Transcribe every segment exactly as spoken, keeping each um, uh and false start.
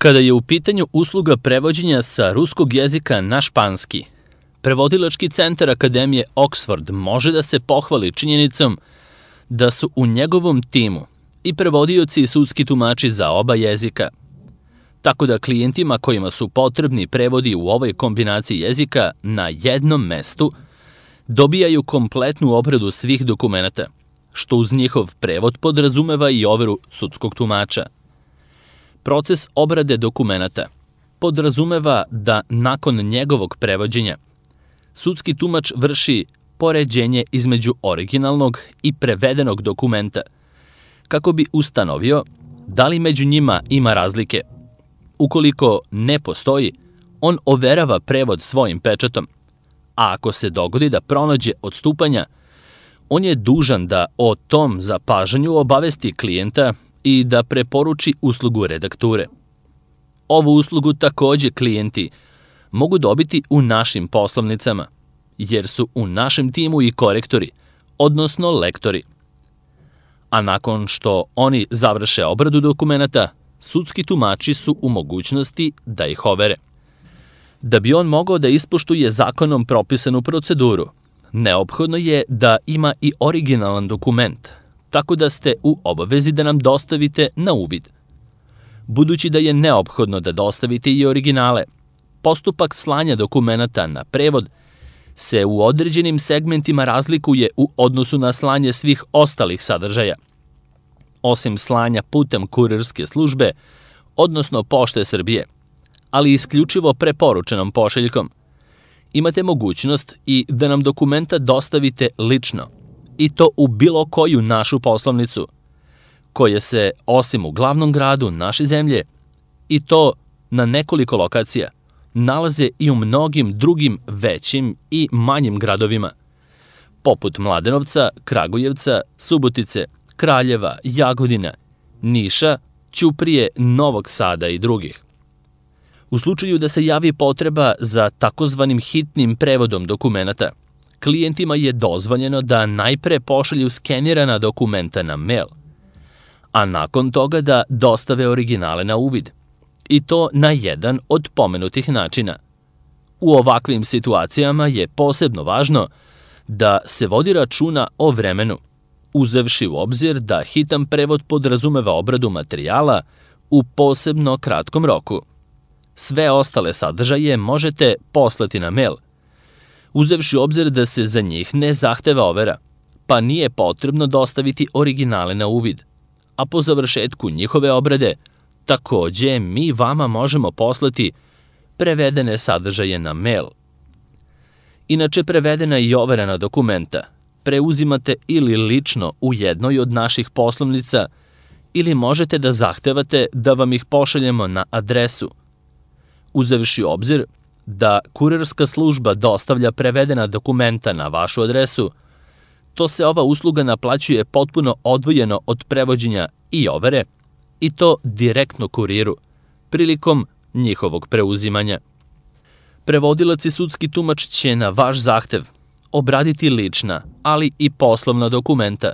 Kada je u pitanju usluga prevođenja sa ruskog jezika na španski, Prevodilački centar Akademije Oxford može da se pohvali činjenicom da su u njegovom timu i prevodioci i sudski tumači za oba jezika, tako da klijentima kojima su potrebni prevodi u ovoj kombinaciji jezika na jednom mestu dobijaju kompletnu obradu svih dokumenata, što uz njihov prevod podrazumeva i overu sudskog tumača. Proces obrade dokumenata podrazumeva da nakon njegovog prevođenja sudski tumač vrši poređenje između originalnog i prevedenog dokumenta, kako bi ustanovio da li među njima ima razlike. Ukoliko ne postoji, on overava prevod svojim pečatom, a ako se dogodi da pronađe odstupanja, on je dužan da o tom zapažanju obavesti klijenta i da preporuči uslugu redakture. Ovu uslugu takođe klijenti mogu dobiti u našim poslovnicama, jer su u našem timu i korektori, odnosno lektori. A nakon što oni završe obradu dokumenata, sudski tumači su u mogućnosti da ih overe. Da bi on mogao da ispoštuje zakonom propisanu proceduru, neophodno je da ima i originalan dokument, tako da ste u obavezi da nam dostavite na uvid. Budući da je neophodno da dostavite i originale, postupak slanja dokumenata na prevod se u određenim segmentima razlikuje u odnosu na slanje svih ostalih sadržaja. Osim slanja putem kurirske službe, odnosno Pošte Srbije, ali isključivo preporučenom pošiljkom, imate mogućnost i da nam dokumenta dostavite lično, i to u bilo koju našu poslovnicu, koje se, osim u glavnom gradu naše zemlje, i to na nekoliko lokacija, nalaze i u mnogim drugim većim i manjim gradovima, poput Mladenovca, Kragujevca, Subotice, Kraljeva, Jagodina, Niša, Ćuprije, Novog Sada i drugih. U slučaju da se javi potreba za takozvanim hitnim prevodom dokumenata, klijentima je dozvoljeno da najpre pošalju skenirana dokumenta na mail, a nakon toga da dostave originale na uvid, i to na jedan od pomenutih načina. U ovakvim situacijama je posebno važno da se vodi računa o vremenu, uzevši u obzir da hitan prevod podrazumeva obradu materijala u posebno kratkom roku. Sve ostale sadržaje možete poslati na mail, uzevši u obzir da se za njih ne zahteva overa, pa nije potrebno dostaviti originale na uvid, a po završetku njihove obrade takođe mi vama možemo poslati prevedene sadržaje na mail. Inače, prevedena i overena dokumenta preuzimate ili lično u jednoj od naših poslovnica ili možete da zahtevate da vam ih pošaljemo na adresu. Uzevši u obzir da kurirska služba dostavlja prevedena dokumenta na vašu adresu, to se ova usluga naplaćuje potpuno odvojeno od prevođenja i overe, i to direktno kuriru, prilikom njihovog preuzimanja. Prevodilac i sudski tumač će na vaš zahtev obraditi lična, ali i poslovna dokumenta,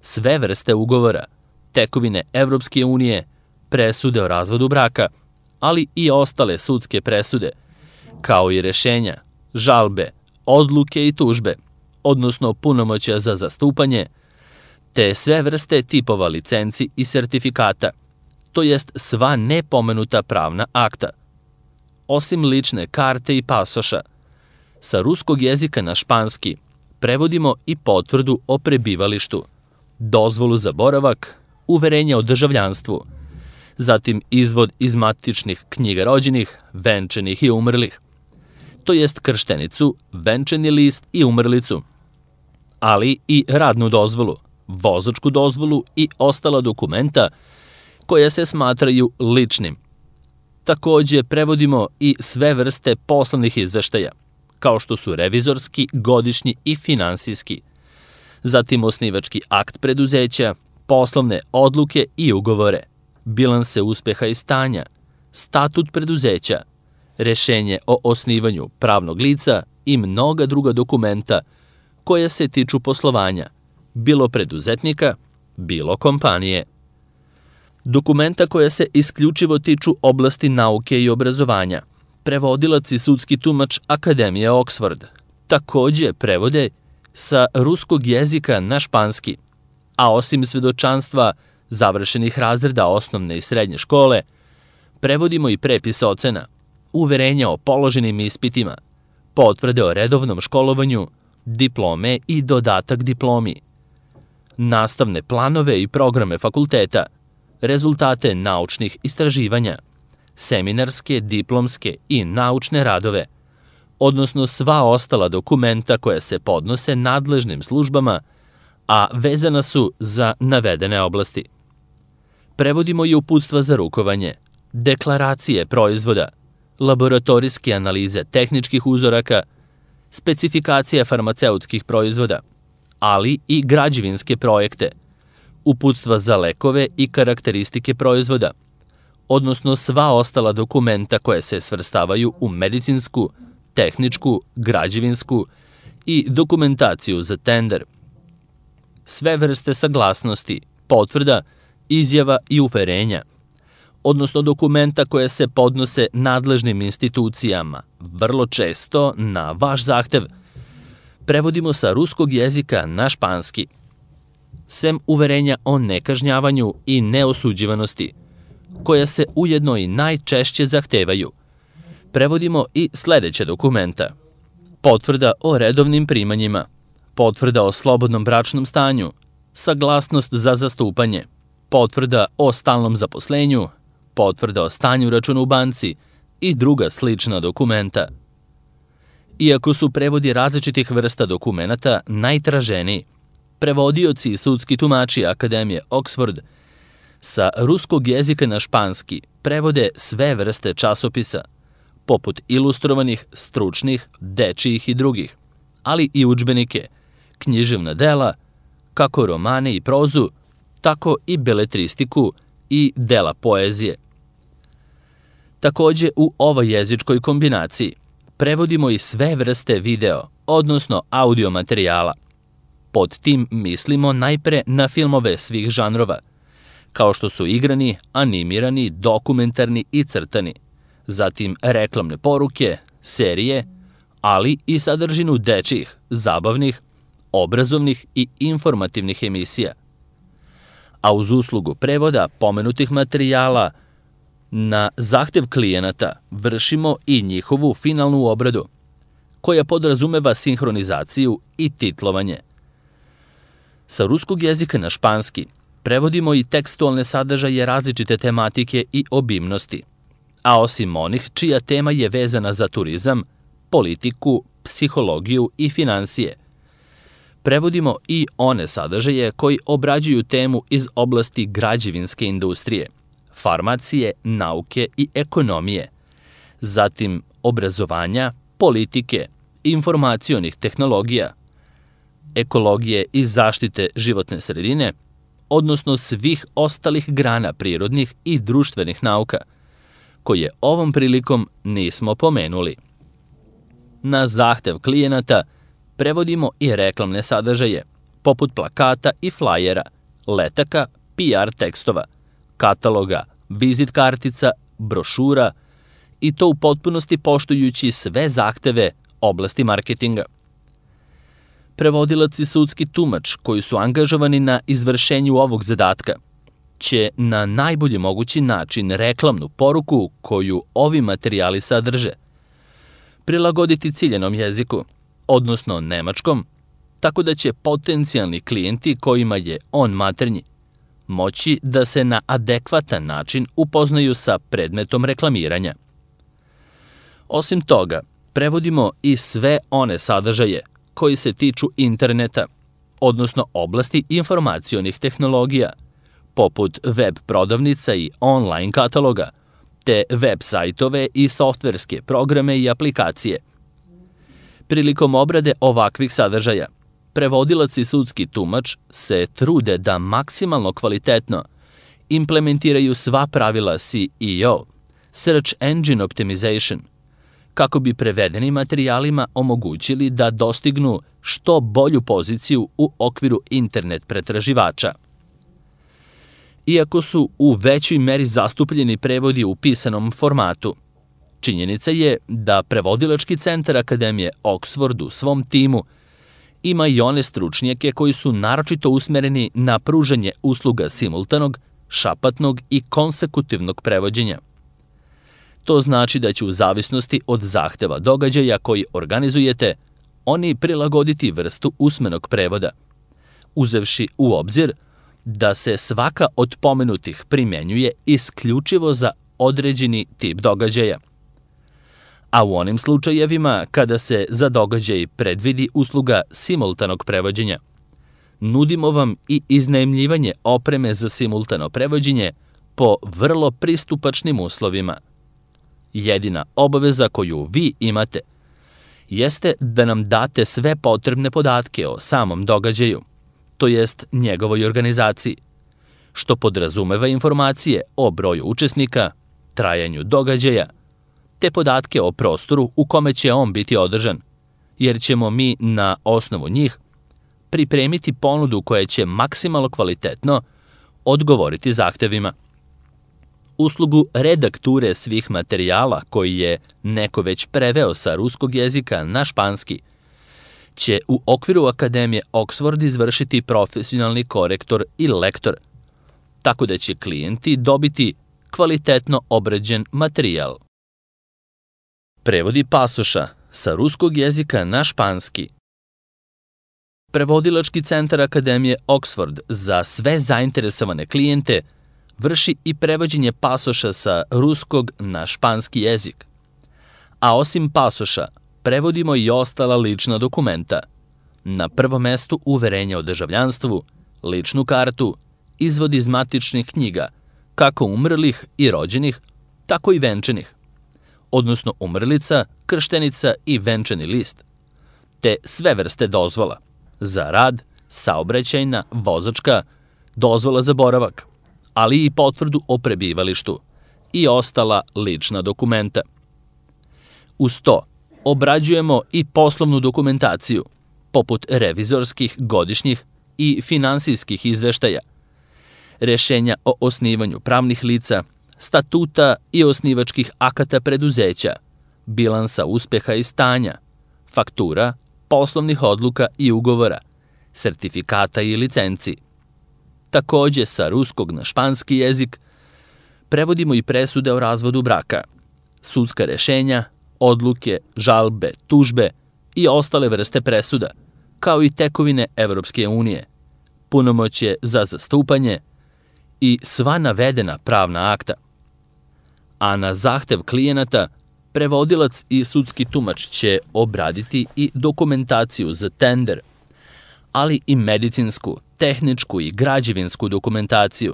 sve vrste ugovora, tekovine Evropske unije, presude o razvodu braka, ali i ostale sudske presude, kao i rešenja, žalbe, odluke i tužbe, odnosno punomoćja za zastupanje, te sve vrste tipova licenci i sertifikata, to jest sva nepomenuta pravna akta. Osim lične karte i pasoša, sa ruskog jezika na španski prevodimo i potvrdu o prebivalištu, dozvolu za boravak, uverenje o državljanstvu, zatim izvod iz matičnih knjiga rođenih, venčanih i umrlih, to jest krštenicu, venčani list i umrlicu, ali i radnu dozvolu, vozačku dozvolu i ostala dokumenta koja se smatraju ličnim. Takođe prevodimo i sve vrste poslovnih izveštaja, kao što su revizorski, godišnji i finansijski, zatim osnivački akt preduzeća, poslovne odluke i ugovore, bilanse uspeha i stanja, statut preduzeća, rešenje o osnivanju pravnog lica i mnoga druga dokumenta koja se tiču poslovanja, bilo preduzetnika, bilo kompanije. Dokumenta koja se isključivo tiču oblasti nauke i obrazovanja. Prevodilac i sudski tumač Akademije Oxford. Takođe prevode sa ruskog jezika na španski, a osim svedočanstva završenih razreda osnovne i srednje škole, prevodimo i prepis ocena, uverenja o položenim ispitima, potvrde o redovnom školovanju, diplome i dodatak diplomi, nastavne planove i programe fakulteta, rezultate naučnih istraživanja, seminarske, diplomske i naučne radove, odnosno sva ostala dokumenta koja se podnose nadležnim službama, a vezana su za navedene oblasti. Prevodimo i uputstva za rukovanje, deklaracije proizvoda, laboratorijske analize tehničkih uzoraka, specifikacije farmaceutskih proizvoda, ali i građevinske projekte, uputstva za lekove i karakteristike proizvoda, odnosno sva ostala dokumenta koje se svrstavaju u medicinsku, tehničku, građevinsku i dokumentaciju za tender. Sve vrste saglasnosti, potvrda, izjava i uverenja, odnosno dokumenta koje se podnose nadležnim institucijama, vrlo često na vaš zahtev, prevodimo sa ruskog jezika na španski. Sem uverenja o nekažnjavanju i neosuđivanosti, koja se ujedno i najčešće zahtevaju, prevodimo i sledeća dokumenta: potvrda o redovnim primanjima, potvrda o slobodnom bračnom stanju, saglasnost za zastupanje, potvrda o stalnom zaposlenju, potvrda o stanju računa u banci i druga slična dokumenta. Iako su prevodi različitih vrsta dokumenata najtraženiji, prevodioci i sudski tumači Akademije Oxford sa ruskog jezika na španski prevode sve vrste časopisa, poput ilustrovanih, stručnih, dečijih i drugih, ali i udžbenike, književna dela, kako romane i prozu, tako i beletristiku i dela poezije. Takođe, u ovoj jezičkoj kombinaciji prevodimo i sve vrste video, odnosno audio materijala. Pod tim mislimo najpre na filmove svih žanrova, kao što su igrani, animirani, dokumentarni i crtani, zatim reklamne poruke, serije, ali i sadržinu dečijih, zabavnih, obrazovnih i informativnih emisija. A uz uslugu prevoda pomenutih materijala, na zahtev klijenata vršimo i njihovu finalnu obradu, koja podrazumeva sinhronizaciju i titlovanje. Sa ruskog jezika na španski prevodimo i tekstualne sadržaje različite tematike i obimnosti, a osim onih čija tema je vezana za turizam, politiku, psihologiju i finansije. Prevodimo i one sadržaje koji obrađuju temu iz oblasti građevinske industrije, farmacije, nauke i ekonomije, zatim obrazovanja, politike, informacionih tehnologija, ekologije i zaštite životne sredine, odnosno svih ostalih grana prirodnih i društvenih nauka, koje ovom prilikom nismo pomenuli. Na zahtev klijenata prevodimo i reklamne sadržaje, poput plakata i flajera, letaka, P R tekstova, kataloga, vizit kartica, brošura, i to u potpunosti poštujući sve zahteve oblasti marketinga. Prevodilac i sudski tumač koji su angažovani na izvršenju ovog zadatka će na najbolji mogući način reklamnu poruku koju ovi materijali sadrže prilagoditi ciljenom jeziku, odnosno nemačkom, tako da će potencijalni klijenti kojima je on maternji moći da se na adekvatan način upoznaju sa predmetom reklamiranja. Osim toga, prevodimo i sve one sadržaje koji se tiču interneta, odnosno oblasti informacionih tehnologija, poput web prodavnica i online kataloga, te web sajtove i softverske programe i aplikacije. Prilikom obrade ovakvih sadržaja, prevodilac i sudski tumač se trude da maksimalno kvalitetno implementiraju sva pravila S E O, Search Engine Optimization, kako bi prevedenim materijalima omogućili da dostignu što bolju poziciju u okviru internet pretraživača. iako su u većoj meri zastupljeni prevodi u pisanom formatu. Činjenica je da prevodilački centar Akademije Oxford u svom timu ima i one stručnjake koji su naročito usmereni na pružanje usluga simultanog, šapatnog i konsekutivnog prevođenja. To znači da će u zavisnosti od zahteva događaja koji organizujete, oni prilagoditi vrstu usmenog prevoda, uzevši u obzir da se svaka od pomenutih primenjuje isključivo za određeni tip događaja. A u onim slučajevima kada se za događaj predvidi usluga simultanog prevođenja, nudimo vam i iznajmljivanje opreme za simultano prevođenje po vrlo pristupačnim uslovima. Jedina obaveza koju vi imate jeste da nam date sve potrebne podatke o samom događaju, to jest njegovoj organizaciji, što podrazumeva informacije o broju učesnika, trajanju događaja, te podatke o prostoru u kome će on biti održan, jer ćemo mi na osnovu njih pripremiti ponudu koja će maksimalno kvalitetno odgovoriti zahtevima. Uslugu redakture svih materijala koji je neko već preveo sa ruskog jezika na španski će u okviru Akademije Oxford izvršiti profesionalni korektor i lektor, tako da će klijenti dobiti kvalitetno obrađen materijal. Prevodi pasoša sa ruskog jezika na španski. Prevodilački centar Akademije Oxford za sve zainteresovane klijente vrši i prevođenje pasoša sa ruskog na španski jezik. A osim pasoša, prevodimo i ostala lična dokumenta. Na prvom mestu uverenje o državljanstvu, ličnu kartu, izvod iz matičnih knjiga, kako umrlih i rođenih, tako i venčanih, odnosno umrlica, krštenica i venčani list, te sve vrste dozvola za rad, saobraćajna, vozačka, dozvola za boravak, ali i potvrdu o prebivalištu i ostala lična dokumenta. Uz to, obrađujemo i poslovnu dokumentaciju, poput revizorskih, godišnjih i finansijskih izveštaja, rešenja o osnivanju pravnih lica, statuta i osnivačkih akata preduzeća, bilansa uspeha i stanja, faktura, poslovnih odluka i ugovora, sertifikata i licenci. Takođe, sa ruskog na španski jezik prevodimo i presude o razvodu braka, sudska rešenja, odluke, žalbe, tužbe i ostale vrste presuda, kao i tekovine Evropske unije, punomoćje za zastupanje i sva navedena pravna akta. A na zahtev klijenata, prevodilac i sudski tumač će obraditi i dokumentaciju za tender, ali i medicinsku, tehničku i građevinsku dokumentaciju,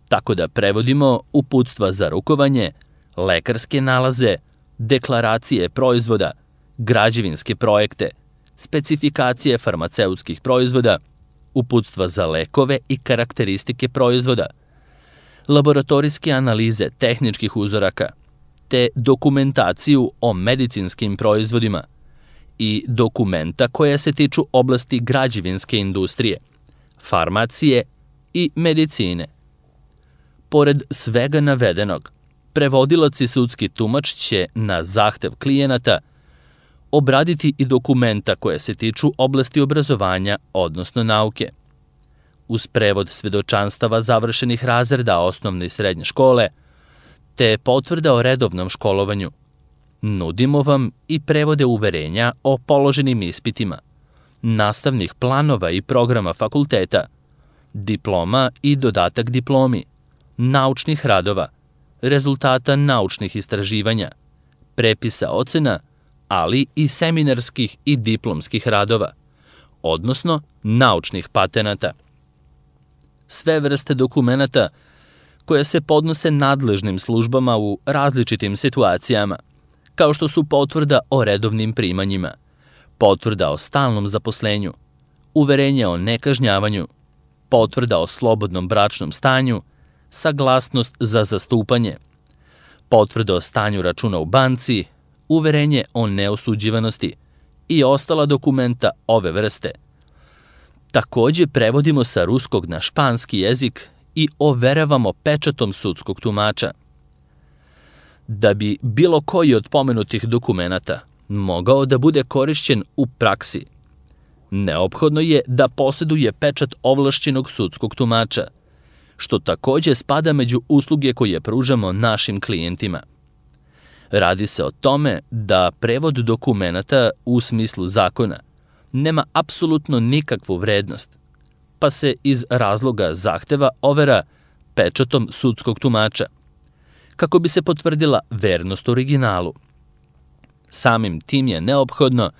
tako da prevodimo uputstva za rukovanje, lekarske nalaze, deklaracije proizvoda, građevinske projekte, specifikacije farmaceutskih proizvoda, uputstva za lekove i karakteristike proizvoda, laboratorijske analize tehničkih uzoraka, te dokumentaciju o medicinskim proizvodima i dokumenta koja se tiču oblasti građevinske industrije, farmacije i medicine. Pored svega navedenog, prevodilac i sudski tumač će na zahtev klijenata obraditi i dokumenta koja se tiču oblasti obrazovanja, odnosno nauke. Uz prevod svedočanstava završenih razreda osnovne i srednje škole, te potvrda o redovnom školovanju, nudimo vam i prevode uverenja o položenim ispitima, nastavnih planova i programa fakulteta, diploma i dodatak diplomi, naučnih radova, rezultata naučnih istraživanja, prepisa ocena, ali i seminarskih i diplomskih radova, odnosno naučnih patenata. Sve vrste dokumenata koje se podnose nadležnim službama u različitim situacijama, kao što su potvrda o redovnim primanjima, potvrda o stalnom zaposlenju, uverenje o nekažnjavanju, potvrda o slobodnom bračnom stanju, saglasnost za zastupanje, potvrda o stanju računa u banci, uverenje o neosuđivanosti i ostala dokumenta ove vrste. Takođe prevodimo sa ruskog na španski jezik i overavamo pečatom sudskog tumača. Da bi bilo koji od pomenutih dokumenata mogao da bude korišćen u praksi, neophodno je da poseduje pečat ovlašćenog sudskog tumača, što takođe spada među usluge koje pružamo našim klijentima. Radi se o tome da prevod dokumenata u smislu zakona nema apsolutno nikakvu vrednost, pa se iz razloga zahteva overa pečatom sudskog tumača, kako bi se potvrdila vernost originalu. Samim tim je neophodno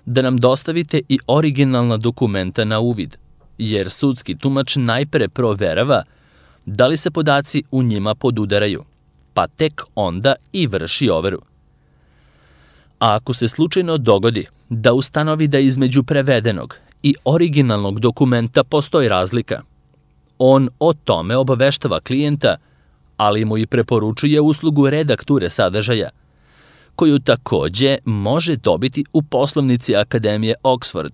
da nam dostavite i originalna dokumenta na uvid, jer sudski tumač najpre proverava da li se podaci u njima podudaraju, pa tek onda i vrši overu. A ako se slučajno dogodi da ustanovi da između prevedenog i originalnog dokumenta postoji razlika, on o tome obaveštava klijenta, ali mu i preporučuje uslugu redakture sadržaja, koju takođe može dobiti u poslovnici Akademije Oxford.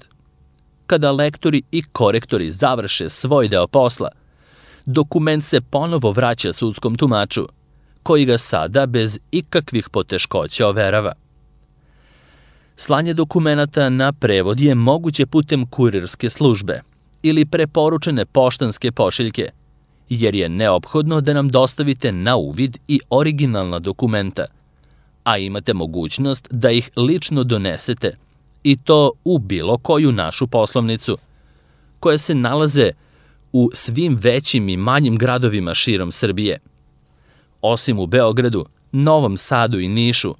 Kada lektori i korektori završe svoj deo posla, dokument se ponovo vraća sudskom tumaču, koji ga sada bez ikakvih poteškoća overava. Slanje dokumenata na prevod je moguće putem kurirske službe ili preporučene poštanske pošiljke, jer je neophodno da nam dostavite na uvid i originalna dokumenta, a imate mogućnost da ih lično donesete, i to u bilo koju našu poslovnicu, koje se nalaze u svim većim i manjim gradovima širom Srbije. Osim u Beogradu, Novom Sadu i Nišu,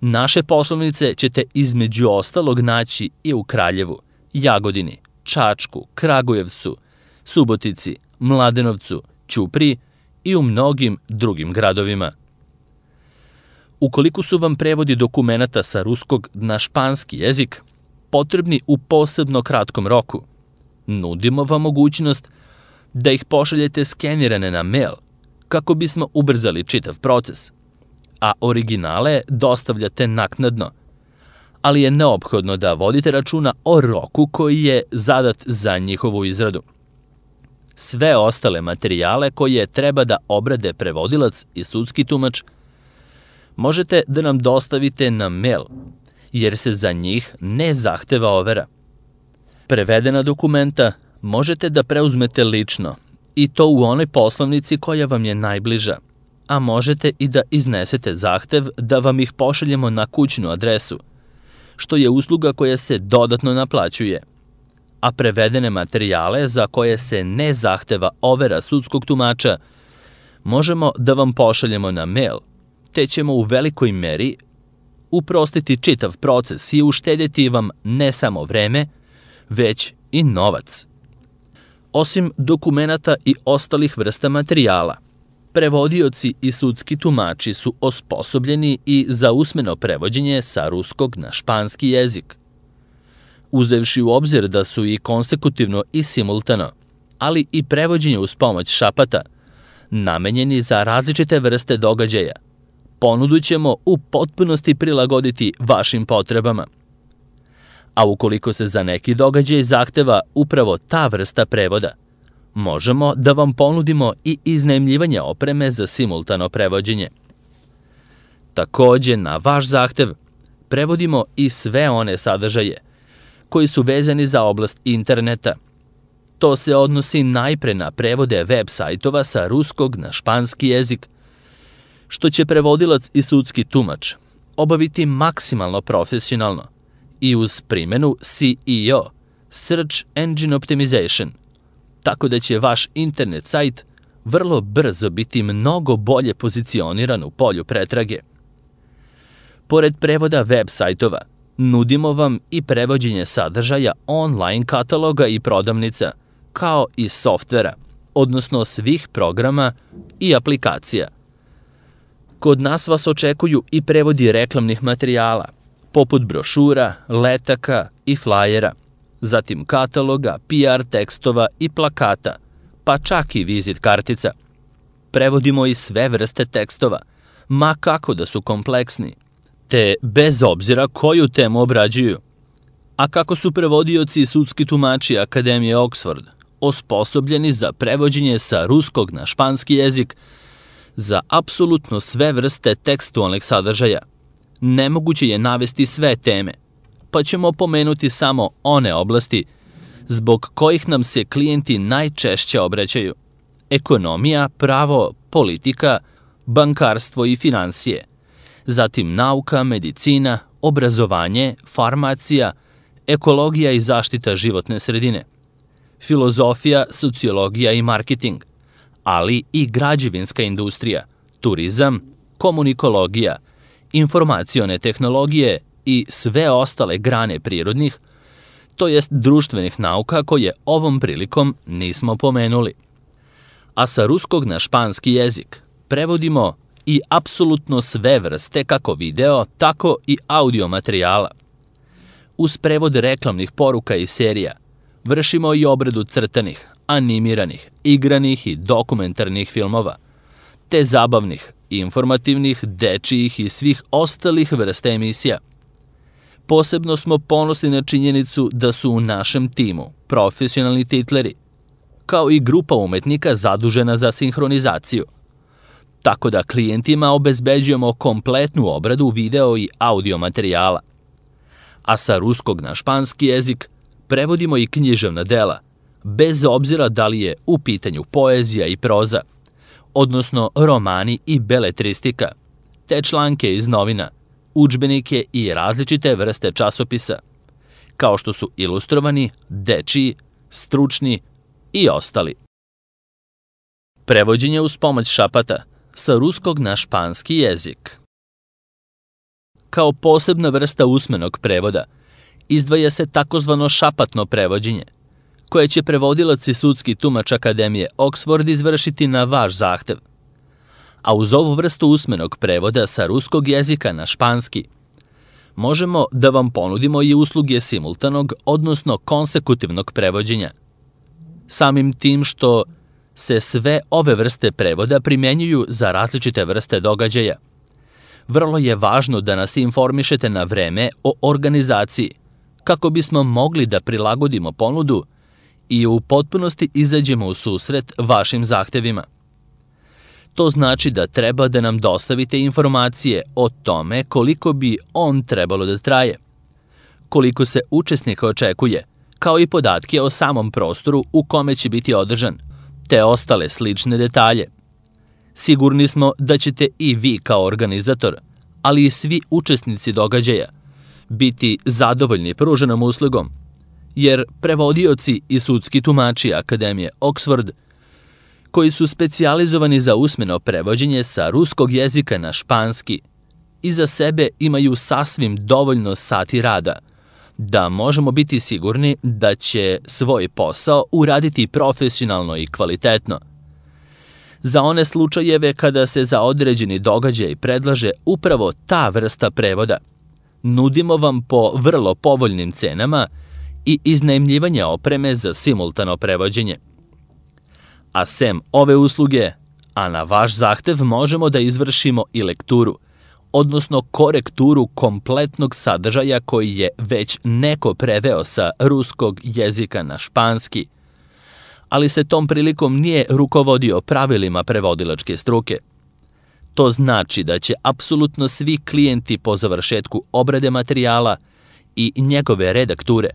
naše poslovnice ćete između ostalog naći i u Kraljevu, Jagodini, Čačku, Kragujevcu, Subotici, Mladenovcu, Ćupriji i u mnogim drugim gradovima. Ukoliko su vam prevodi dokumenata sa ruskog na španski jezik potrebni u posebno kratkom roku, nudimo vam mogućnost da ih pošaljete skenirane na mail kako bismo ubrzali čitav proces, a originale dostavljate naknadno, ali je neophodno da vodite računa o roku koji je zadat za njihovu izradu. Sve ostale materijale koje treba da obrade prevodilac i sudski tumač možete da nam dostavite na mail, jer se za njih ne zahteva overa. Prevedena dokumenta možete da preuzmete lično, i to u onoj poslovnici koja vam je najbliža, a možete i da iznesete zahtev da vam ih pošaljemo na kućnu adresu, što je usluga koja se dodatno naplaćuje. A prevedene materijale za koje se ne zahteva overa sudskog tumača možemo da vam pošaljemo na mail, te ćemo u velikoj meri uprostiti čitav proces i uštedjeti vam ne samo vreme, već i novac. Osim dokumenata i ostalih vrsta materijala, prevodioci i sudski tumači su osposobljeni i za usmeno prevođenje sa ruskog na španski jezik. Uzevši u obzir da su i konsekutivno i simultano, ali i prevođenje uz pomoć šapata, namenjeni za različite vrste događaja, ponudu ćemo u potpunosti prilagoditi vašim potrebama. A ukoliko se za neki događaj zahteva upravo ta vrsta prevoda, možemo da vam ponudimo i iznajmljivanje opreme za simultano prevođenje. Takođe, na vaš zahtev prevodimo i sve one sadržaje koji su vezani za oblast interneta. To se odnosi najpre na prevode web sajtova sa ruskog na španski jezik, što će prevodilac i sudski tumač obaviti maksimalno profesionalno i uz primjenu C E O, Search Engine Optimization, tako da će vaš internet sajt vrlo brzo biti mnogo bolje pozicioniran u polju pretrage. Pored prevoda web sajtova, nudimo vam i prevođenje sadržaja online kataloga i prodavnica, kao i softvera, odnosno svih programa i aplikacija. Kod nas vas očekuju i prevodi reklamnih materijala, poput brošura, letaka i flajera, zatim kataloga, P R tekstova i plakata, pa čak i vizit kartica. Prevodimo i sve vrste tekstova, ma kako da su kompleksni, te bez obzira koju temu obrađuju. A kako su prevodioci i sudski tumači Akademije Oxford osposobljeni za prevođenje sa ruskog na španski jezik za apsolutno sve vrste tekstualnih sadržaja. Nemoguće je navesti sve teme, pa ćemo pomenuti samo one oblasti zbog kojih nam se klijenti najčešće obraćaju: ekonomija, pravo, politika, bankarstvo i finansije, zatim nauka, medicina, obrazovanje, farmacija, ekologija i zaštita životne sredine, filozofija, sociologija i marketing, ali i građevinska industrija, turizam, komunikologija, informacione tehnologije i sve ostale grane prirodnih, to jest društvenih nauka koje ovom prilikom nismo pomenuli. A sa ruskog na španski jezik prevodimo i apsolutno sve vrste kako video, tako i audio materijala. Uz prevod reklamnih poruka i serija vršimo i obradu crtanih, animiranih, igranih i dokumentarnih filmova, te zabavnih, informativnih, dečijih i svih ostalih vrsta emisija. Posebno smo ponosni na činjenicu da su u našem timu profesionalni titleri, kao i grupa umetnika zadužena za sinhronizaciju. Tako da klijentima obezbeđujemo kompletnu obradu video i audio materijala. A sa ruskog na španski jezik prevodimo i književna dela, bez obzira da li je u pitanju poezija i proza, odnosno romani i beletristika, te članke iz novina, udžbenike i različite vrste časopisa, kao što su ilustrovani, dečiji, stručni i ostali. Prevođenje uz pomoć šapata sa ruskog na španski jezik. Kao posebna vrsta usmenog prevoda izdvaja se takozvano šapatno prevođenje, koje će prevodilac i sudski tumač Akademije Oxford izvršiti na vaš zahtev. A uz ovu vrstu usmenog prevoda sa ruskog jezika na španski možemo da vam ponudimo i usluge simultanog, odnosno konsekutivnog prevođenja. Samim tim što se sve ove vrste prevoda primenjuju za različite vrste događaja, vrlo je važno da nas informišete na vreme o organizaciji, kako bismo mogli da prilagodimo ponudu i u potpunosti izađemo u susret vašim zahtevima. To znači da treba da nam dostavite informacije o tome koliko bi on trebalo da traje, koliko se učesnika očekuje, kao i podatke o samom prostoru u kome će biti održan, te ostale slične detalje. Sigurni smo da ćete i vi kao organizator, ali i svi učesnici događaja, biti zadovoljni pruženom uslugom, jer prevodioci i sudski tumači Akademije Oxford, koji su specijalizovani za usmeno prevođenje sa ruskog jezika na španski, iza sebe imaju sasvim dovoljno sati rada, da možemo biti sigurni da će svoj posao uraditi profesionalno i kvalitetno. Za one slučajeve kada se za određeni događaj predlaže upravo ta vrsta prevoda, nudimo vam po vrlo povoljnim cenama i iznajmljivanje opreme za simultano prevođenje. A sem ove usluge, a na vaš zahtev možemo da izvršimo i lekturu, odnosno korekturu kompletnog sadržaja koji je već neko preveo sa ruskog jezika na španski, ali se tom prilikom nije rukovodio pravilima prevodilačke struke. To znači da će apsolutno svi klijenti po završetku obrade materijala i njegove redakture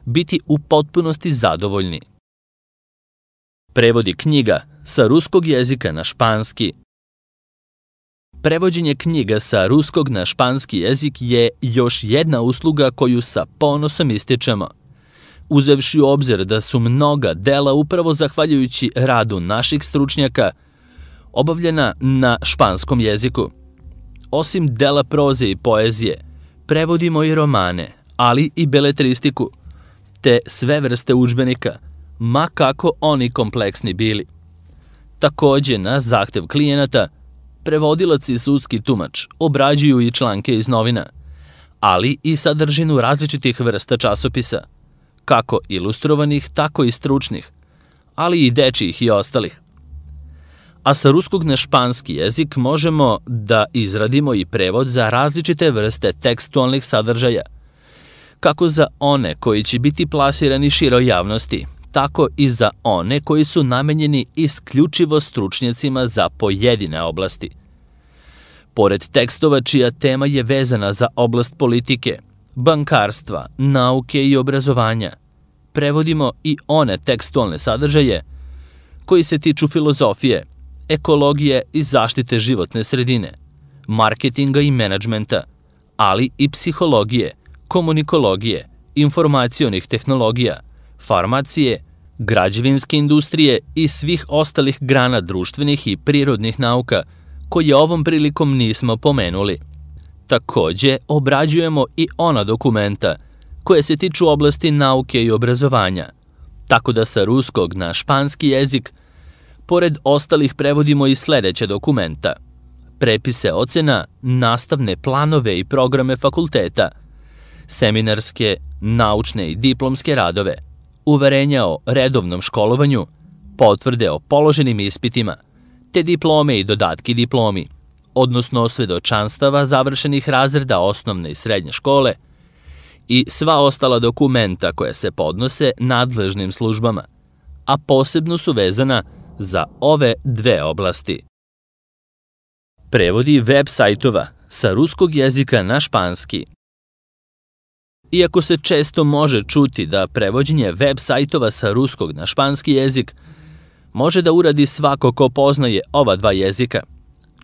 biti u potpunosti zadovoljni. Prevodi knjiga sa ruskog jezika na španski. Prevođenje knjiga sa ruskog na španski jezik je još jedna usluga koju sa ponosom ističemo, uzevši u obzir da su mnoga dela upravo zahvaljujući radu naših stručnjaka obavljena na španskom jeziku. Osim dela proze i poezije, prevodimo i romane, ali i beletristiku, te sve vrste udžbenika, ma kako oni kompleksni bili. Takođe, na zahtev klijenata, prevodilac i sudski tumač obrađuju i članke iz novina, ali i sadržinu različitih vrsta časopisa, kako ilustrovanih, tako i stručnih, ali i dečijih i ostalih. A sa ruskog na španski jezik možemo da izradimo i prevod za različite vrste tekstualnih sadržaja, kako za one koji će biti plasirani široj javnosti, tako i za one koji su namenjeni isključivo stručnjacima za pojedine oblasti. Pored tekstova čija tema je vezana za oblast politike, bankarstva, nauke i obrazovanja, prevodimo i one tekstualne sadržaje koji se tiču filozofije, ekologije i zaštite životne sredine, marketinga i menadžmenta, ali i psihologije, komunikologije, informacionih tehnologija, farmacije, građevinske industrije i svih ostalih grana društvenih i prirodnih nauka koje ovom prilikom nismo pomenuli. Takođe, obrađujemo i ona dokumenta koje se tiču oblasti nauke i obrazovanja, tako da sa ruskog na španski jezik, pored ostalih prevodimo i sledeća dokumenta: prepise ocena, nastavne planove i programe fakulteta, seminarske, naučne i diplomske radove, uverenja o redovnom školovanju, potvrde o položenim ispitima, te diplome i dodatki diplomi, odnosno svedočanstava završenih razreda osnovne i srednje škole i sva ostala dokumenta koja se podnose nadležnim službama, a posebno su vezana za ove dve oblasti. Prevodi web sajtova sa ruskog jezika na španski. Iako se često može čuti da prevođenje web sajtova sa ruskog na španski jezik može da uradi svako ko poznaje ova dva jezika,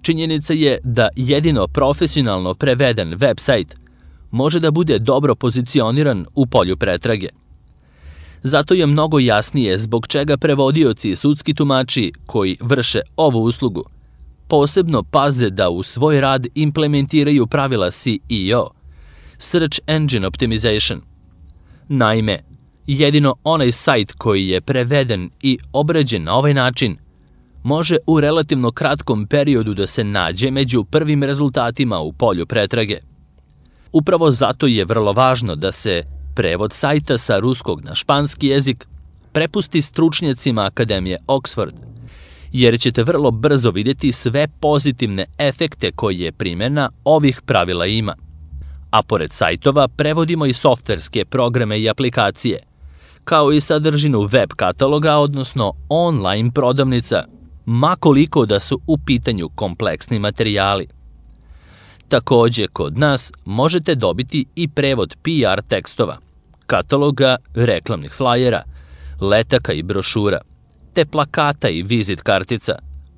činjenica je da jedino profesionalno preveden web sajt može da bude dobro pozicioniran u polju pretrage. Zato je mnogo jasnije zbog čega prevodioci i sudski tumači koji vrše ovu uslugu posebno paze da u svoj rad implementiraju pravila S E O, Search Engine Optimization. Naime, jedino onaj sajt koji je preveden i obrađen na ovaj način može u relativno kratkom periodu da se nađe među prvim rezultatima u polju pretrage. Upravo zato je vrlo važno da se prevod sajta sa ruskog na španski jezik prepusti stručnjacima Akademije Oxford, jer ćete vrlo brzo vidjeti sve pozitivne efekte koje primjena ovih pravila ima. A pored sajtova prevodimo i softverske programe i aplikacije, kao i sadržinu web kataloga, odnosno online prodavnica, ma koliko da su u pitanju kompleksni materijali. Takođe, kod nas možete dobiti i prevod P R tekstova, kataloga, reklamnih flajera, letaka i brošura, te plakata i vizit kartica,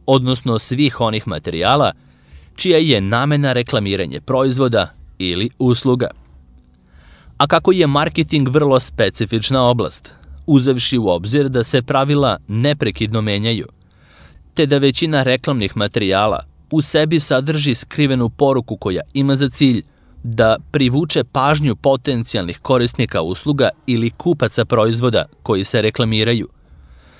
odnosno svih onih materijala čija je namena reklamiranje proizvoda ili usluga. A kako je marketing vrlo specifična oblast, uzevši u obzir da se pravila neprekidno menjaju, te da većina reklamnih materijala u sebi sadrži skrivenu poruku koja ima za cilj da privuče pažnju potencijalnih korisnika usluga ili kupaca proizvoda koji se reklamiraju,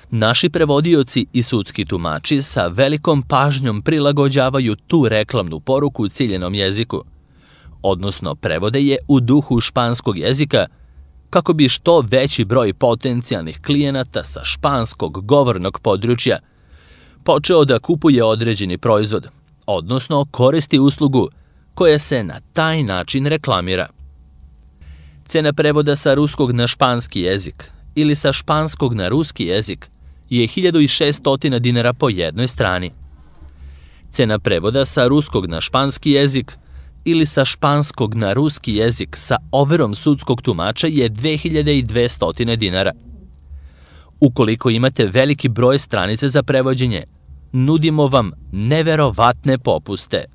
naši prevodioci i sudski tumači sa velikom pažnjom prilagođavaju tu reklamnu poruku ciljenom jeziku, odnosno prevode je u duhu španskog jezika kako bi što veći broj potencijalnih klijenata sa španskog govornog područja počeo da kupuje određeni proizvod, odnosno koristi uslugu koja se na taj način reklamira. Cena prevoda sa ruskog na španski jezik ili sa španskog na ruski jezik je hiljadu šesto dinara po jednoj strani. Cena prevoda sa ruskog na španski jezik ili sa španskog na ruski jezik sa overom sudskog tumača je dve hiljade dvesta dinara. Ukoliko imate veliki broj stranica za prevođenje, nudimo vam neverovatne popuste.